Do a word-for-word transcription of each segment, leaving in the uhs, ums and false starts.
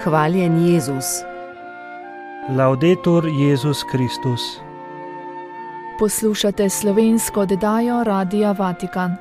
Hvaljen Jezus. Laudetur Jezus Kristus. Poslušate slovensko oddajo Radia Vatikan.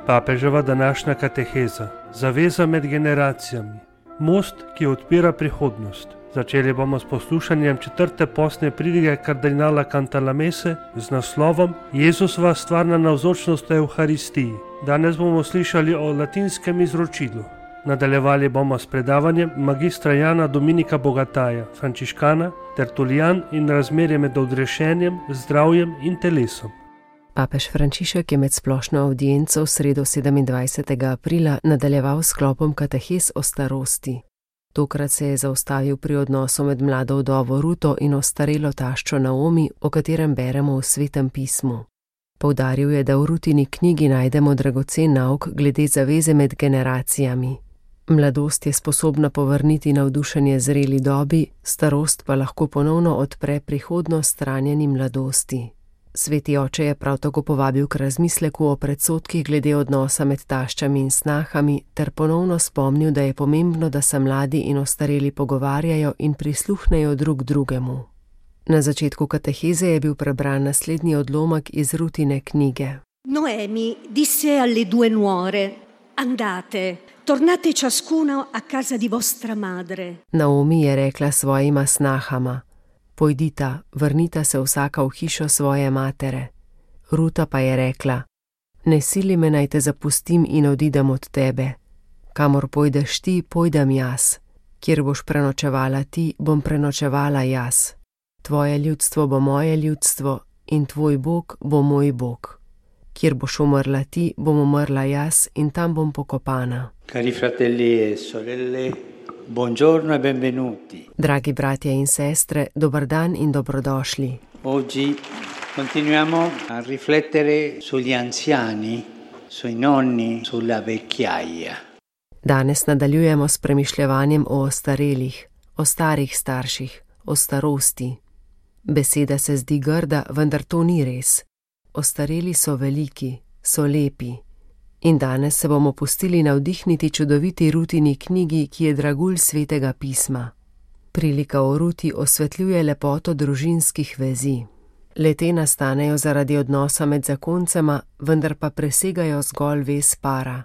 Papeževa današnja kateheza. Zaveza med generacijami. Most, ki odpira prihodnost. Začeli bomo s poslušanjem četrte postne pridige kardinala Cantalamesse z naslovom Jezusova stvarna navzočnost v Evharistiji. Danes bomo slišali o latinskem izročilu. Nadaljevali bomo s predavanjem magistra Jana Dominika Bogataja, frančiškana, tertulijan in razmerje med odrešenjem, zdravjem in telesom. Papež Frančišek je med splošno avdienco v sredo sedemindvajsetega aprila nadaljeval s sklopom katehez o starosti. Tokrat se je zaustavil pri odnosu med mlado vdovo Ruto in ostarelo taščo Naomi, o katerem beremo v Svetem pismu. Poudaril je, da v Rutini knjigi najdemo dragocen nauk glede zaveze med generacijami. Mladost je sposobna povrniti navdušenje zreli dobi, starost pa lahko ponovno odpre prihodnost ranjeni mladosti. Sveti oče je prav tako povabil k razmisleku o predsodkih glede odnosa med taščami in snahami ter ponovno spomnil, da je pomembno, da se mladi in ostareli pogovarjajo in prisluhnejo drug drugemu. Na začetku kateheze je bil prebran naslednji odlomek iz Rutine knjige. Noemi disse alle due nuore: Andate, tornate ciascuna a casa di vostra madre. Naomi je rekla svojima snahama: Pojdita, vrnita se vsaka v hišo svoje matere. Ruta pa je rekla: Ne sili me, naj te zapustim in odidem od tebe. Kamor pojdeš ti, pojdem jaz. Kjer boš prenočevala ti, bom prenočevala jaz. Tvoje ljudstvo bo moje ljudstvo in tvoj Bog bo moj Bog. Kjer boš umrla ti, bom umrla jaz in tam bom pokopana. Cari fratelli e sorelle, buongiorno e benvenuti. Dragi bratje in sestre, dober dan in dobrodošli. Oggi continuiamo a riflettere sugli anziani, sui nonni, sulla vecchiaia. Danes nadaljujemo s premišljevanjem o ostarelih, o starih starših, o starosti. Beseda se zdi grda, vendar to ni res. Ostareli so veliki, so lepi. In danes se bomo pustili navdihniti čudoviti Rutini knjigi, ki je dragulj Svetega pisma. Prilika o Ruti osvetljuje lepoto družinskih vezi. Le-te nastanejo zaradi odnosa med zakoncema, vendar pa presegajo zgolj vez para.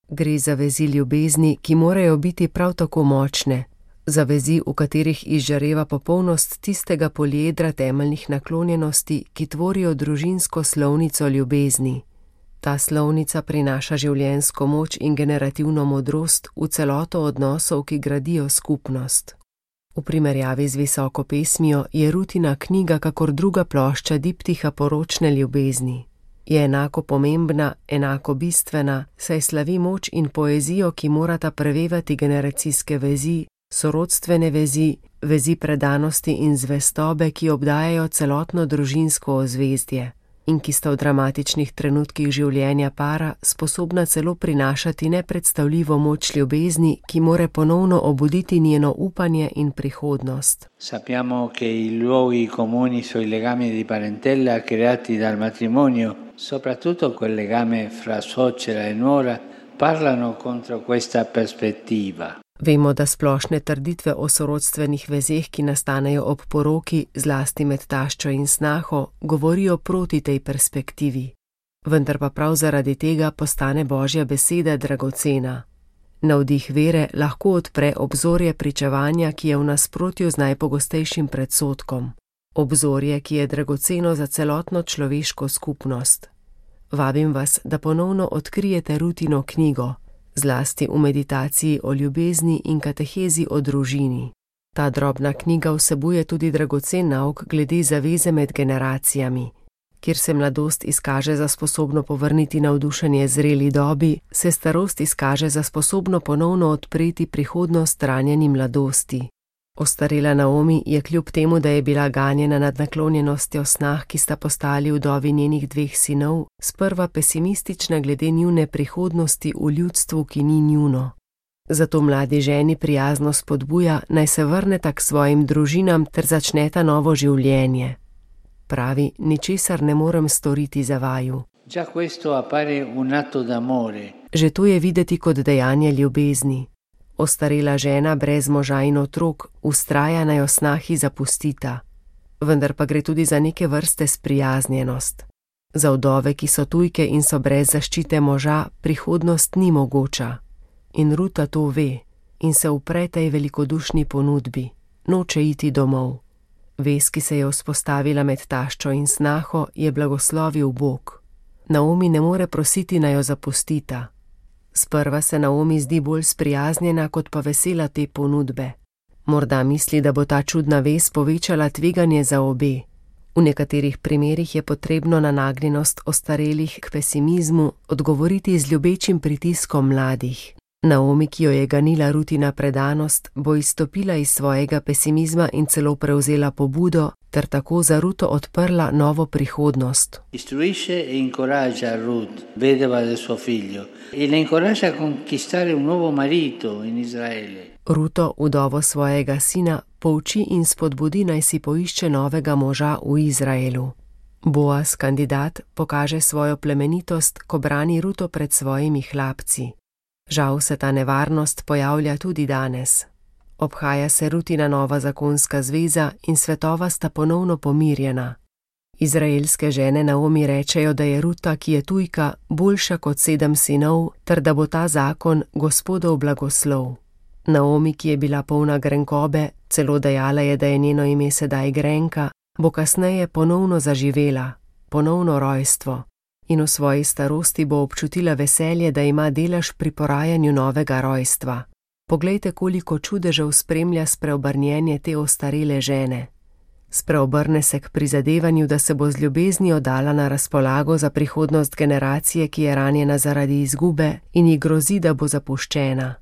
Gre za vezi ljubezni, ki morajo biti prav tako močne, za vezi, v katerih izžareva popolnost tistega poliedra temeljnih naklonjenosti, ki tvorijo družinsko slovnico ljubezni. Ta slovnica prinaša življenjsko moč in generativno modrost v celoto odnosov, ki gradijo skupnost. V primerjavi z visoko pesmijo je Rutina knjiga kakor druga plošča diptiha poročne ljubezni. Je enako pomembna, enako bistvena, saj slavi moč in poezijo, ki morata prevevati generacijske vezi, sorodstvene vezi, vezi predanosti in zvestobe, ki obdajajo celotno družinsko ozvezdje in ki sta v dramatičnih trenutkih življenja para sposobna celo prinašati nepredstavljivo moč ljubezni, ki more ponovno obuditi njeno upanje in prihodnost. Sappiamo che i luoghi comuni sui legami di parentela creati dal matrimonio, soprattutto quel legame fra suocera e nuora, parlano contro questa prospettiva. Vemo, da splošne trditve o sorodstvenih vezeh, ki nastanejo ob poroki, zlasti med taščo in snaho, govorijo proti tej perspektivi. Vendar pa prav zaradi tega postane Božja beseda dragocena. Navdih vere lahko odpre obzorje pričevanja, ki je v nasprotju z najpogostejšim predsodkom. Obzorje, ki je dragoceno za celotno človeško skupnost. Vabim vas, da ponovno odkrijete Rutino knjigo, zlasti v meditaciji o ljubezni in katehezi o družini. Ta drobna knjiga vsebuje tudi dragocen nauk glede zaveze med generacijami. Kjer se mladost izkaže za sposobno povrniti navdušenje zreli dobi, se starost izkaže za sposobno ponovno odpreti prihodnost ranjeni mladosti. Ostarela Naomi je kljub temu, da je bila ganjena nad naklonjenostjo snah, ki sta postali vdovi njenih dveh sinov, sprva pesimistična glede njune prihodnosti v ljudstvu, ki ni njuno. Zato mladi ženi prijazno spodbuja, naj se vrneta k svojim družinam ter začneta novo življenje. Pravi, ničesar ne morem storiti za vaju. Già questo appare un atto d'amore. Že to je videti kot dejanje ljubezni. Ostarela žena brez moža in otrok vztraja, naj jo snahi zapustita. Vendar pa gre tudi za neke vrste sprijaznjenost. Za vdove, ki so tujke in so brez zaščite moža, prihodnost ni mogoča. In Ruta to ve in se upre tej velikodušni ponudbi. Noče iti domov. Vez, ki se je vzpostavila med taščo in snaho, je blagoslovil Bog. Naomi ne more prositi, naj jo zapustita. Sprva se Naomi zdi bolj sprijaznjena kot pa vesela te ponudbe. Morda misli, da bo ta čudna vez povečala tveganje za obe. V nekaterih primerih je potrebno na nagnjenost ostarelih k pesimizmu odgovoriti z ljubečim pritiskom mladih. Naomi, ki jo je ganila Rutina predanost, bo izstopila iz svojega pesimizma in celo prevzela pobudo ter tako za Ruto odprla novo prihodnost. Istruisce e incoraggia Ruth, vedova del suo figlio, e la incoraggia a conquistare un nuovo marito in Israele. Ruto, vdovo svojega sina, pouči in spodbudi, naj si poišče novega moža v Izraelu. Boaz, kandidat, pokaže svojo plemenitost, ko brani Ruto pred svojimi hlapci. Žal se ta nevarnost pojavlja tudi danes. Obhaja se Rutina nova zakonska zveza in svetova sta ponovno pomirjena. Izraelske žene Naomi rečejo, da je Ruta, ki je tujka, boljša kot sedem sinov, ter da bo ta zakon Gospodov blagoslov. Naomi, ki je bila polna grenkobe, celo dejala je, da je njeno ime sedaj grenka, bo kasneje ponovno zaživela, ponovno rojstvo. In v svoji starosti bo občutila veselje, da ima delež pri porajanju novega rojstva. Poglejte, koliko čudežev spremlja spreobrnjenje te ostarele žene. Spreobrne se k prizadevanju, da se bo z ljubeznijo dala na razpolago za prihodnost generacije, ki je ranjena zaradi izgube in ji grozi, da bo zapuščena.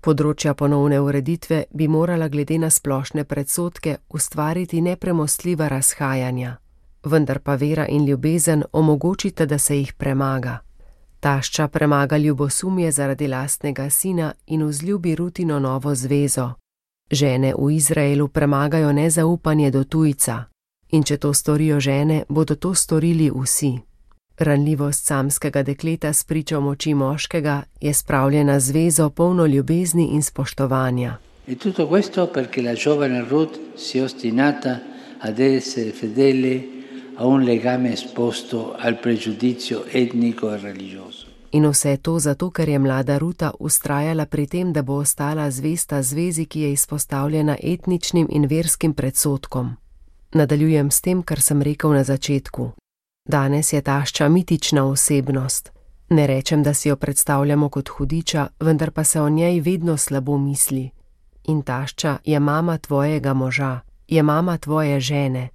Področja ponovne ureditve bi morala glede na splošne predsodke ustvariti nepremostljiva razhajanja. Vendar pa vera in ljubezen omogočita, da se jih premaga. Tašča premaga ljubosumje zaradi lastnega sina in vzljubi Rutino novo zvezo. Žene v Izraelu premagajo nezaupanje do tujca. In če to storijo žene, bodo to storili vsi. Ranljivost samskega dekleta s pričo moči moškega je spravljena zvezo polno ljubezni in spoštovanja. E tutto questo perché la giovane Ruth si è ostinata ad essere fedele a un legame esposto al pregiudizio etnico e religioso. In vse to zato, ker je mlada Ruta vztrajala pri tem, da bo ostala zvesta zvezi, ki je izpostavljena etničnim in verskim predsodkom. Nadaljujem s tem, kar sem rekel na začetku. Danes je tašča mitična osebnost. Ne rečem, da si jo predstavljamo kot hudiča, vendar pa se o njej vedno slabo misli. In tašča je mama tvojega moža, je mama tvoje žene.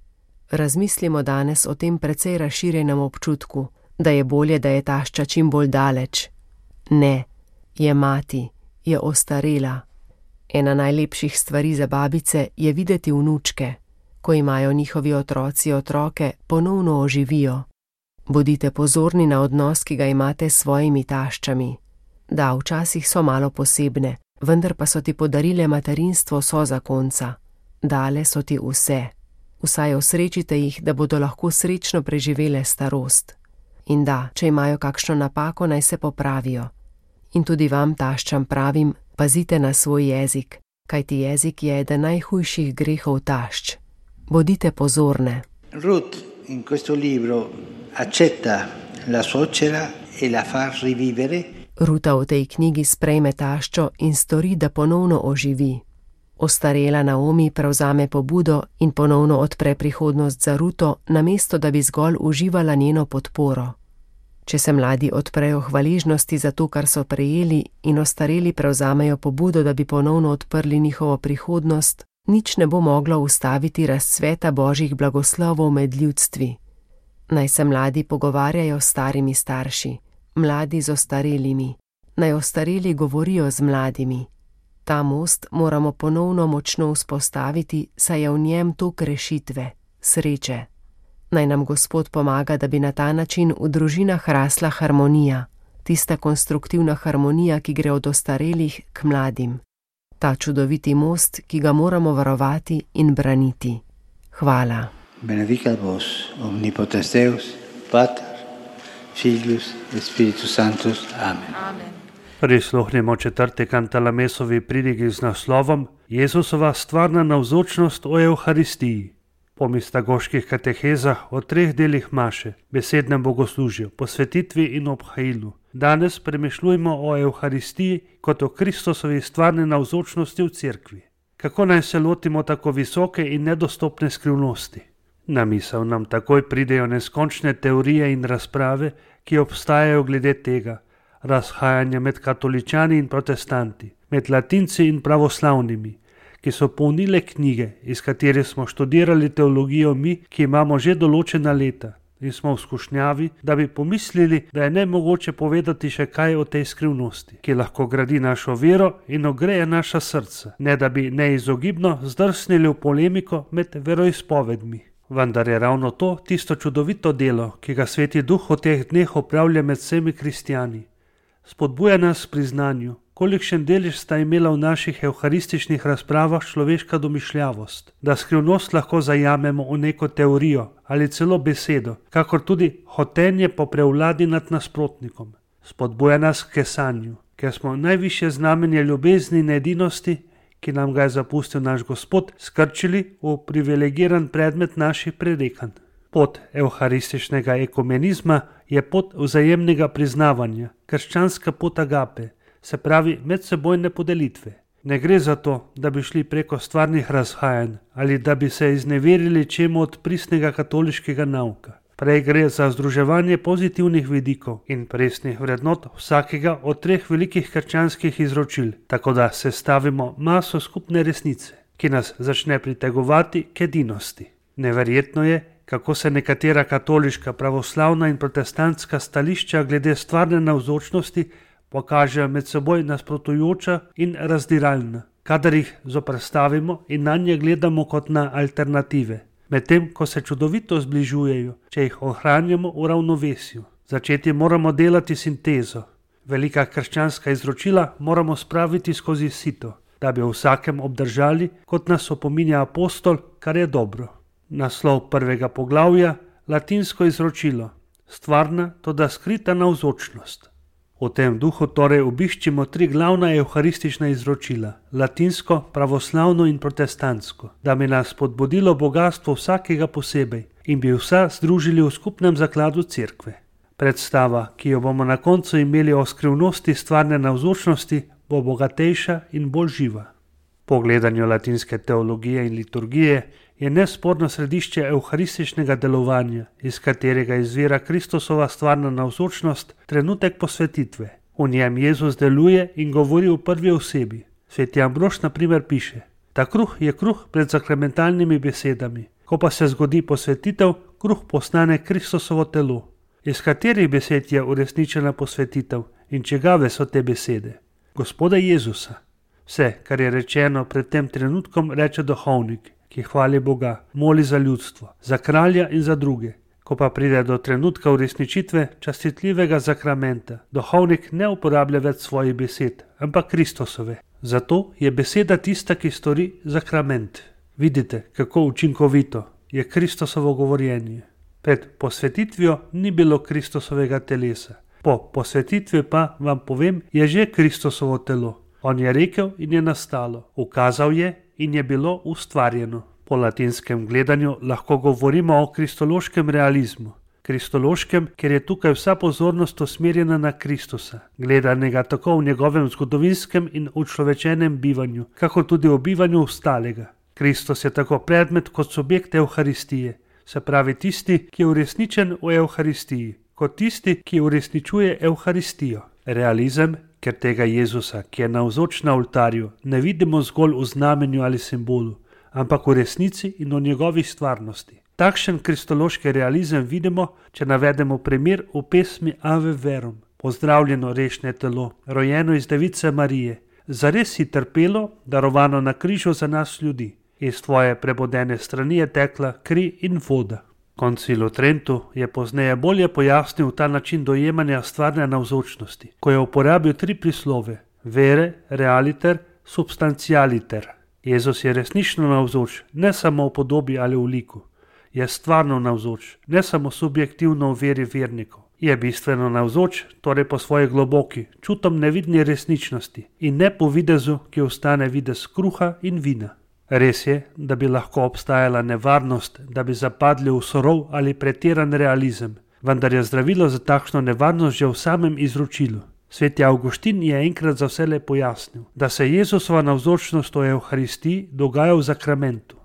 Razmislimo danes o tem precej razširjenem občutku, da je bolje, da je tašča čim bolj daleč. Ne, je mati, je ostarela. Ena najlepših stvari za babice je videti vnučke. Ko imajo njihovi otroci otroke, ponovno oživijo. Bodite pozorni na odnos, ki ga imate s svojimi taščami. Da, včasih so malo posebne, vendar pa so ti podarile materinstvo sozakonca. Dale so ti vse. Vsaj osrečite jih, da bodo lahko srečno preživele starost. In da, če imajo kakšno napako, naj se popravijo. In tudi vam, taščam, pravim, pazite na svoj jezik, kajti jezik je eden najhujših grehov tašč. Bodite pozorne. Ruth in questo libro accetta la suocera e la fa rivivere. Ruta v tej knjigi sprejme taščo in stori, da ponovno oživi. Ostarela Naomi prevzame pobudo in ponovno odpre prihodnost za Ruto, namesto da bi zgolj uživala njeno podporo. Če se mladi odprejo hvaležnosti za to, kar so prejeli, in ostareli prevzamejo pobudo, da bi ponovno odprli njihovo prihodnost, nič ne bo moglo ustaviti razcveta božjih blagoslovov med ljudstvi. Naj se mladi pogovarjajo s starimi starši, mladi z ostarelimi, naj ostareli govorijo z mladimi. Ta most moramo ponovno močno vzpostaviti, saj je v njem tok rešitve, sreče. Naj nam Gospod pomaga, da bi na ta način v družinah rasla harmonija, tista konstruktivna harmonija, ki gre od ostarelih k mladim. Ta čudoviti most, ki ga moramo varovati in braniti. Hvala. Benedicat vos, omnipotens Deus, Pater, Filius et Spiritus Sanctus. Amen. Amen. Prisluhnimo četrti Kantalamesovi pridigi z naslovom Jezusova stvarna navzočnost o Evharistiji. Po mistagoških katehezah o treh delih maše, besednem bogoslužju, posvetitvi in obhajilu, danes premišljujemo o Evharistiji kot o Kristusovi stvarni navzočnosti v cerkvi. Kako naj se lotimo tako visoke in nedostopne skrivnosti? Na misel nam takoj pridejo neskončne teorije in razprave, ki obstajajo glede tega, razhajanja med katoličani in protestanti, med latinci in pravoslavnimi, ki so polnile knjige, iz katerih smo študirali teologijo mi, ki imamo že določena leta in smo v skušnjavi, da bi pomislili, da je nemogoče povedati še kaj o tej skrivnosti, ki lahko gradi našo vero in ogreje naša srca, ne da bi neizogibno zdrsnili v polemiko med veroizpovedmi. Vendar je ravno to tisto čudovito delo, ki ga Sveti Duh v teh dneh opravlja med vsemi kristjani. Spodbuja nas pri znanju, kolikšen delež sta imela v naših evharističnih razpravah človeška domišljavost, da skrivnost lahko zajamemo v neko teorijo ali celo besedo, kakor tudi hotenje po prevladi nad nasprotnikom. Spodbuja nas k kesanju, ker smo najvišje znamenje ljubezni in edinosti, ki nam ga je zapustil naš Gospod, skrčili v privilegiran predmet naših prerekanj. Pot evharističnega ekumenizma je pot vzajemnega priznavanja, krščanska pot agape, se pravi medsebojne podelitve. Ne gre za to, da bi šli preko stvarnih razhajanj ali da bi se izneverili čemu od pristnega katoliškega nauka. Prej gre za združevanje pozitivnih vidikov in presnih vrednot vsakega od treh velikih krščanskih izročil, tako da sestavimo maso skupne resnice, ki nas začne pritegovati k edinosti. Neverjetno je, kako se nekatera katoliška, pravoslavna in protestantska stališča glede stvarne navzočnosti pokažejo med seboj nasprotujoča in razdiralna, kadar jih zoperstavimo in nanje gledamo kot na alternative, medtem ko se čudovito zbližujejo, če jih ohranjamo v ravnovesju. Začeti moramo delati sintezo. Velika krščanska izročila moramo spraviti skozi sito, da bi v vsakem obdržali, kot nas opominja apostol, kar je dobro. Naslov prvega poglavja, latinsko izročilo, stvarna, toda skrita navzočnost. V tem duhu torej obiščimo tri glavna evharistična izročila, latinsko, pravoslavno in protestantsko, da bi nas spodbudilo bogastvo vsakega posebej in bi vsa združili v skupnem zakladu cerkve. Predstava, ki jo bomo na koncu imeli o skrivnosti stvarne navzočnosti, bo bogatejša in bolj živa. Po gledanju latinske teologije in liturgije je nesporno središče evharističnega delovanja, iz katerega izvira Kristusova stvarna navzočnost, trenutek posvetitve. V njem Jezus deluje in govori v prvi osebi. Sveti Ambrož na primer piše: ta kruh je kruh pred sakramentalnimi besedami, ko pa se zgodi posvetitev, kruh postane Kristusovo telo. Iz katerih besed je uresničena posvetitev in čigave so te besede? Gospoda Jezusa. Vse, kar je rečeno pred tem trenutkom, reče duhovnik, ki hvali Boga, moli za ljudstvo, za kralja in za druge. Ko pa pride do trenutka uresničitve častitljivega zakramenta, duhovnik ne uporablja več svojih besed, ampak Kristusove. Zato je beseda tista, ki stori zakrament. Vidite, kako učinkovito je Kristusovo govorjenje. Pred posvetitvijo ni bilo Kristusovega telesa. Po posvetitvi pa, vam povem, je že Kristusovo telo. On je rekel in je nastalo, ukazal je in je bilo ustvarjeno. Po latinskem gledanju lahko govorimo o kristološkem realizmu. Kristološkem, ker je tukaj vsa pozornost usmerjena na Kristusa, gledanega tako v njegovem zgodovinskem in učlovečenem bivanju, kakor tudi v bivanju ostalega. Kristus je tako predmet kot subjekt Evharistije, se pravi tisti, ki je uresničen v Evharistiji, kot tisti, ki uresničuje Evharistijo. Realizem, ker tega Jezusa, ki je navzoč na oltarju, ne vidimo zgolj v znamenju ali simbolu, ampak v resnici in v njegovi stvarnosti. Takšen kristološki realizem vidimo, če navedemo primer v pesmi Ave Verum. Pozdravljeno rešne telo, rojeno iz Device Marije, zares si trpelo, darovano na križu za nas ljudi. Iz tvoje prebodene strani je tekla kri in voda. Koncil v Trentu je pozneje bolje pojasnil ta način dojemanja stvarne navzočnosti, ko je uporabil tri prislove: vere, realiter, substantialiter. Jezus je resnično navzoč, ne samo v podobi ali v liku. Je stvarno navzoč, ne samo subjektivno v veri vernikov, Je bistveno navzoč, torej po svoji globoki, čutom nevidni resničnosti in ne po videzu, ki ostane videz kruha in vina. Res je, da bi lahko obstajala nevarnost, da bi zapadli v surov ali pretiran realizem, vendar je zdravilo za takšno nevarnost že v samem izročilu. Sveti Avguštin je enkrat za vselej pojasnil, da se Jezusova navzočnost v Evharistiji dogaja v zakramentu.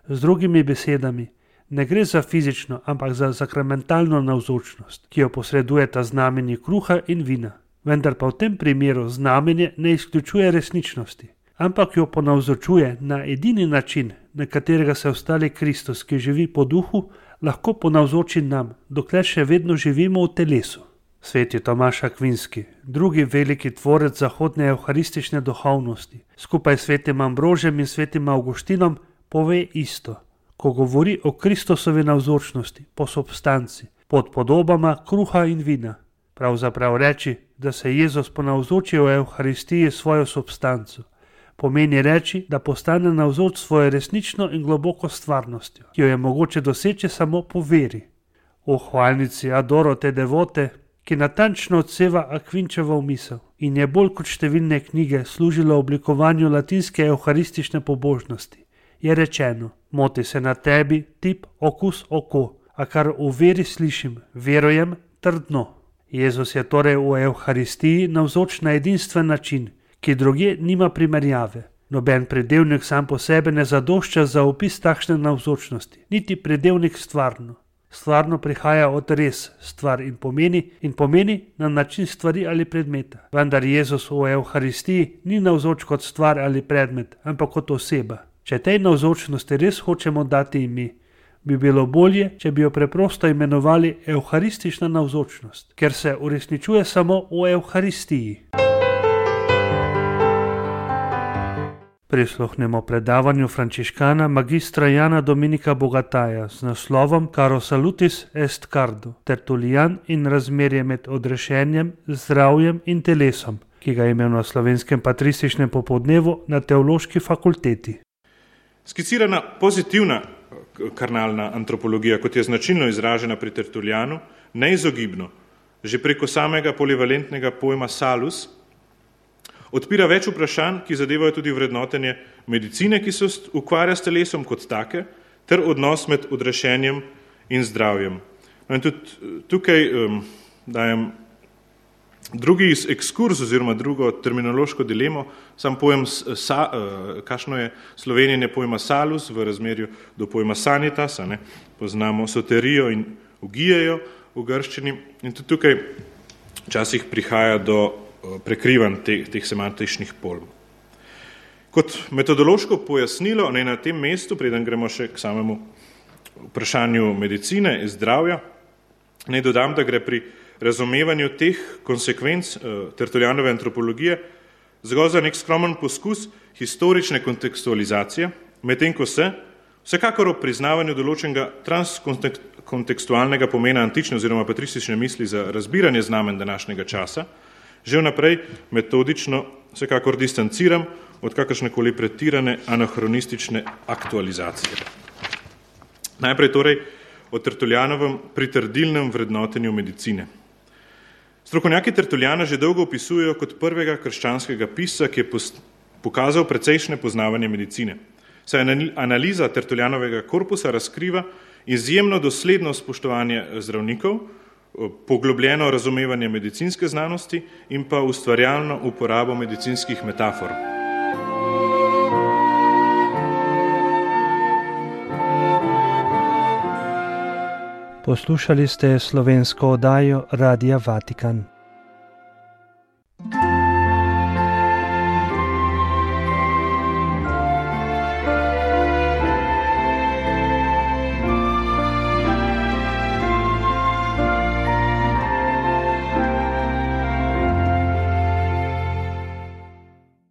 Z drugimi besedami, ne gre za fizično, ampak za sakramentalno navzočnost, ki jo posredujeta znamenji kruha in vina. Vendar pa v tem primeru znamenje ne izključuje resničnosti, ampak jo ponavzočuje na edini način, na katerega se ostali Kristus, ki živi po duhu, lahko ponavzoči nam, dokler še vedno živimo v telesu. Sveti Tomaž Akvinski, drugi veliki tvorec zahodne evharistične duhovnosti, skupaj s svetim Ambrožem in svetim Avguštinom, pove isto, ko govori o Kristusovi navzočnosti, po substanci, pod podobama kruha in vina. Pravzaprav reči, da se Jezus ponavzoči v Evharistiji svojo substanco, pomeni reči, da postane navzoč svojo resnično in globoko stvarnostjo, ki jo je mogoče doseči samo po veri. V hvalnici Adoro te devote, ki natančno odseva Akvinčevo misel in je bolj kot številne knjige služila oblikovanju latinske evharistične pobožnosti, je rečeno: moti se na tebi tip okus oko, a kar v veri slišim, verujem trdno. Jezus je torej v Evharistiji navzoč na edinstven način, ki drugje nima primerjave. Noben pridevnik sam po sebi ne zadošča za opis takšne navzočnosti, niti pridevnik stvarno. Stvarno prihaja od res, stvar in pomeni, in pomeni na način stvari ali predmeta. Vendar Jezus v Evharistiji ni navzoč kot stvar ali predmet, ampak kot oseba. Če tej navzočnosti res hočemo dati ime, bi bilo bolje, če bi jo preprosto imenovali evharistična navzočnost, ker se uresničuje samo v Evharistiji. Prisluhnemo predavanju frančiškana magistra Jana Dominika Bogataja z naslovom Caro salutis est cardo, Tertulian in razmerje med odrešenjem, zdravjem in telesom, ki ga je imel na slovenskem patrističnem popoldnevu na teološki fakulteti. Skicirana pozitivna karnalna antropologija, kot je značilno izražena pri Tertulianu, neizogibno, že preko samega polivalentnega pojma salus, odpira več vprašanj, ki zadevajo tudi vrednotenje medicine, ki se ukvarja s telesom kot take, ter odnos med odrešenjem in zdravjem. No in tudi tukaj um, dajem drugi ekskurs oziroma drugo terminološko dilemo, sam pojem, sa, uh, kakšno je slovenjenje pojma salus v razmerju do pojma sanitas, ne? Poznamo soterijo in ugijejo v grščini in tudi tukaj včasih prihaja do prekrivan teh, teh semantičnih pojmov. Kot metodološko pojasnilo, ne na tem mestu, preden gremo še k samemu vprašanju medicine in zdravja, naj dodam, da gre pri razumevanju teh konsekvenc uh, Tertulianove antropologije zgolj za nek skromen poskus historične kontekstualizacije, medtem ko se, vsekakor ob priznavanju določenega transkontekstualnega pomena antične oziroma patristične misli za razbiranje znamen današnjega časa, že vnaprej metodično vsekakor distanciram od kakršnekoli pretirane anahronistične aktualizacije. Najprej torej o Tertulianovem pritrdilnem vrednotenju medicine. Strokovnjaki Tertuliana že dolgo opisujejo kot prvega krščanskega pisca, ki je pokazal precejšnje poznavanje medicine. Saj analiza Tertulianovega korpusa razkriva izjemno dosledno spoštovanje zdravnikov, poglobljeno razumevanje medicinske znanosti in pa ustvarjalno uporabo medicinskih metafor. Poslušali ste slovensko oddajo Radia Vatikan.